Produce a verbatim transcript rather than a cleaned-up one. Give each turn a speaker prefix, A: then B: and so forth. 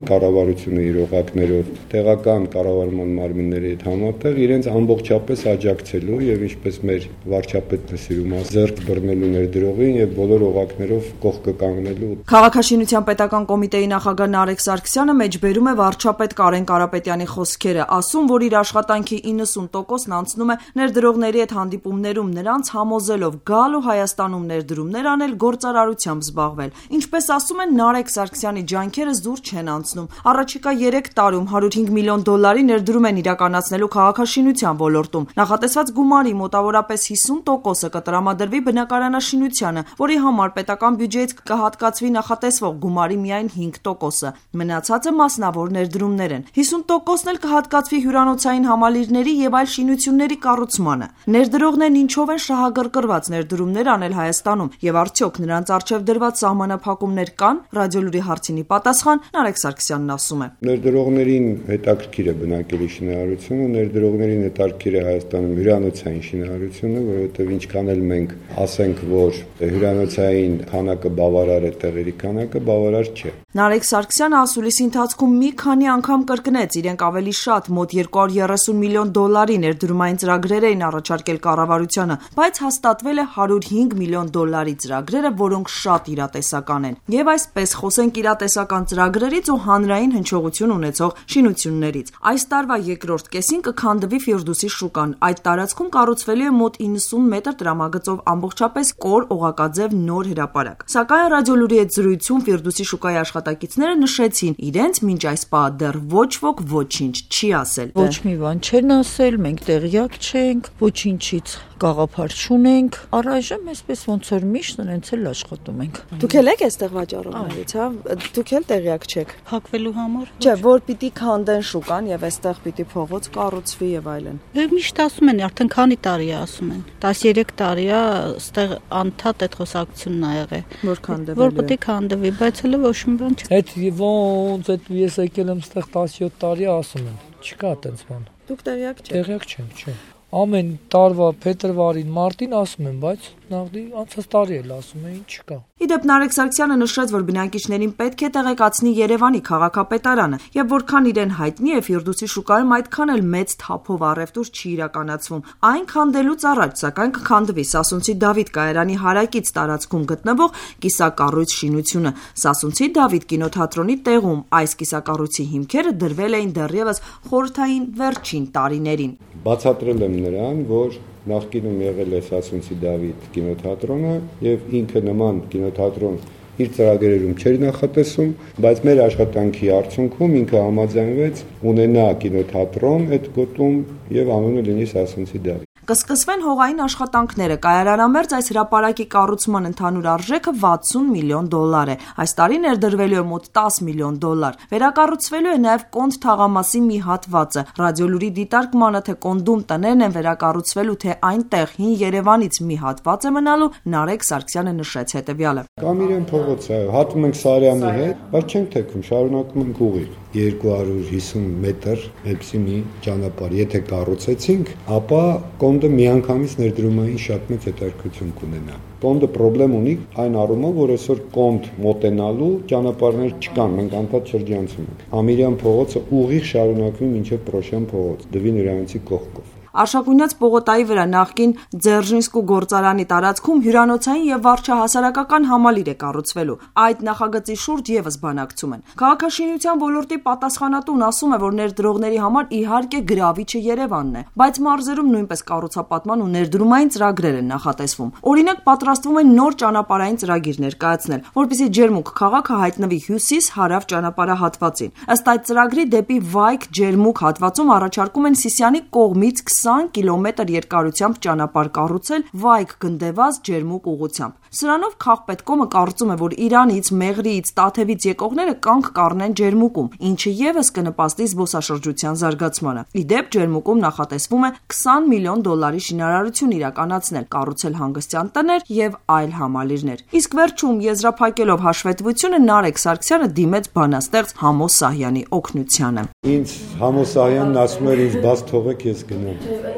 A: կառավարությունը իր օղակներով տեղական կառավարման մարմինների հետ համատեղ իրենց ամբողջապես աջակցելու եւ ինչպես մեր վարչապետն է սիրում ասել, ձեռք բռնելու ներդրողին եւ բոլոր օղակներով կողքը կանգնելու։
B: Քաղաքաշինության պետական կոմիտեի նախագահ Նարեկ Սարգսյանը մեջբերում է վարչապետ Կարեն Կարապետյանի խոսքերը, ասում, որ իր աշխատանքի իննսուն տոկոսն անցնում է ներդրողների հետ հանդիպումներում, նրանց համոզելով գալ ու Հայաստանում ներդրումներ անել, գործարարությամբ զբաղվել։ Ինչպես ասում են, Նարեկ Սարգսյանի ջանքերը զուր չեն անցնում։ Առաջիկա երեք տարում հարյուր հինգ միլիոն դոլարի ներդրում են իրականացնելու քաղաքաշինության ոլորտում։ Նախատեսված գումարի մոտավորապես հիսուն տոկոսը կտրամադրվի բնակարանաշինությանը, որի համար պետական բյուջեից կհատկացվի նախատեսվող գումարի միայն հինգ տոկոսը։ Մնացածը մասնավոր ներդրումներ են։ հիսուն տոկոսն էլ կհատկացվի հյուրանոցային համալիրների եւ այլ շինությունների կառուցմանը։ Ներդրողներն ինչով են շահագրգռված ներդրումներ անել Հայաստանում եւ արդյոք նրանց արժեվ դրված սահմանափակումներ կան։ Ռադիոլուրի հարցինի պատասխան Նարեկ Սարգսյանն ասում է.
A: Ներդրողներին հետաքրքիր է բնակելի շինարարությունը, ներդրողներին հետաքրքիր է Հայաստանում հյուրանոցային շինարարությունը, որովհետեւ ինչքան էլ մենք ասենք, որ հյուրանոցային քանակը բավարար է, տեղերի քանակը բավարար չէ։
B: Նարեկ Սարգսյանը ասուլիսի ընթացքում մի քանի անգամ կրկնեց, իրենք ավելի շատ մոտ երկու հարյուր երեսուն միլիոն դոլարի ներդրումային ծրագրեր էին առաջարկել կառավարությանը, բայց հաստատվել է հարյուր հինգ միլիոն դոլարի ծրագրերը, որոնք շատ իրատեսական են։ Եվ այսպես խոսենք իրատեսական ծրագրերից ու հանրային հնչողություն ունեցող շինություններից։ Այս տարվա երկրորդ կեսին կքանդվի Ֆիրդուսի շուկան։ Այդ տարածքում կառուցվելու է մոտ իննսուն մետր տրամագծով ամբողջապես կոր օղակաձև նոր հրապարակ։ Սակայն Ռադիոլուրի հետ զրույցում Ֆիրդուսի շուկայի աշխատակիցները նշեցին, իրենց մինչ այս պահ դեռ ոչ ոք ոչինչ չի ասել։
C: Ոչ մի բան չեն ասել, մենք տեղյակ չենք, ոչինչից գաղափար չունենք։ Առայժմ այսպես ոնց որ միշտ նրանց էլ աշխատում ենք։
B: Դուք էլ եք այստեղ վաճառողներից, հա? Դուք էլ տեղյակ չեք։
C: Փակվելու համար։
B: Չէ, որ պիտի քանդեն շուկան եւ այստեղ պիտի փողոց կառուցվի եւ այլն։
C: Դե միշտ ասում են, արդեն քանի տարի է ասում են։ տասներեք տարի է այստեղ անդադ այդ խոսակցությունն ա եղել։
B: Որ քանդվի։
C: Որ պետք է քանդվի, բայց հələ ոչ մի բան չէ։
D: Այդ ոնց այդ ես եկել եմ այստեղ տասնյոթ տարի ասում են։ Չկա այդպես բան։
B: Դուք տեղյակ չեք։
D: Տեղյակ չեմ, չէ։ Ամեն տարվա փետրվարին, մարտին ասում են, բայց նախդի անցած տարի էլ ասում էին, չկա։
B: Իդեպ Նարեկ Սարգսյանը նշեց, որ բնակիչներին պետք է տեղեկացնի Երևանի քաղաքապետարանը, եւ որքան իրեն հայտնի է Ֆիրդուսի շուկայում այդքան էլ մեծ թափով առևտուր չի իրականացվում։ Այն քանդելուց առաջ, սակայն կքանդվի Սասունցի Դավիթ կայարանի հարակից տարածքում գտնվող կիսակառույց շինությունը։ Սասունցի Դավիթ կինոթատրոնի տեղում այս կիսակառույցի հիմքերը դրվել էին դեռևս խորհրդային վերջին տարիներին։
A: Բացատրել եմ նրան, որ նախկինում եղել է Սասունցի Դավիթ կինոթատրոնը եւ ինքը նման կինոթատրոն իր ծրագրերում չէր նախատեսում, բայց մեր աշխատանքի արդյունքում ինքը համաձայնվեց ունենա կինոթատրոն այդ գոտում եւ անունը լինի Սասունցի Դավիթ։
B: Կսկսվեն հողային աշխատանքները։ Կայարանամերձ այս հրապարակի կառուցման ընդհանուր արժեքը վաթսուն միլիոն դոլար է։ Այս տարի ներդրվելու է մոտ տասը միլիոն դոլար։ Վերակառուցվելու է նաև Կոնդ թաղամասի մի հատվածը։ Ռադիոլուրի դիտարկմանը, թե Կոնդում տներն են վերակառուցվելու, թե այնտեղ հին Երևանից մի հատված է մնալու, Նարեկ Սարգսյանը նշեց հետևյալը։
A: Կամ իրեն փողոց է, հատում ենք Սարյանի հետ, բայց չենք թեքում, շարունակում ենք ուղիղ։ երկու հարյուր հիսուն մետր էպսի մի ճանապարհ, եթե կառուցեցինք, ապա Կոնդը միանգամից ներդրումային շատ մեծ հետաքրքրություն կունենա։ Կոնդը խնդրեմ ունի այն առումով, որ այսօր Կոնդ մոտենալու ճանապարհներ չկան, մենք անդադ շրջանցում ենք։ Ամիրյան փողոցը ուղիղ շարունակվում մինչև Պրոշյան փողոց, Դվին հյուրանոցի կողքով։
B: Արշակունյաց պողոտայի վրա նախկին Ձերժինսկու գործարանի տարածքում հյուրանոցային եւ վարչահասարակական համալիր է կառուցվելու։ Այդ նախագծի շուրջ եւս բանակցում են։ Քաղաքաշինության ոլորտի պատասխանատուն ասում է, որ ներդրողների համար իհարկե գրավիչը Երևանն է, բայց մարզերում նույնպես կառուցապատման ու ներդրումային ծրագրեր են նախատեսվում։ Օրինակ, պատրաստվում են նոր ճանապարհային ծրագիր ներկայացնել, որպեսզի Ջերմուկ քաղաքը հայտնվի հյուսիս-հարավ ճանապարհահատվածին։ Ըստ այդ ծրագրի դեպի Վայք Ջերմուկ հատվածում առաջարկում են Սիսիանի կողմից քսան կիլոմետր երկարությամբ ճանապարհ կառուցել Վայք Գնդեվազ Ջերմուկ ուղղությամբ։ Սրանով Քաղպետկոմը կարծում է, որ Իրանից, Մեղրիից, Տաթևից եկողները կանգ կառնեն Ջերմուկում, ինչը եւս կնպաստի զբոսաշրջության զարգացմանը։ Իդեպ Ջերմուկում նախատեսվում է քսան միլիոն դոլարի շինարարություն իրականացնել, կառուցել հանգստյան տներ եւ այլ համալիրներ։ Իսկ վերջում եզրափակելով հաշվետվությունը Նարեկ Սարգսյանը դիմեց բանաստեղծ Համո Սահյանի օգնությանը։
A: Ինձ Համո Սահյանն ասում էր, ինձ բաց թողեք, ես գնամ։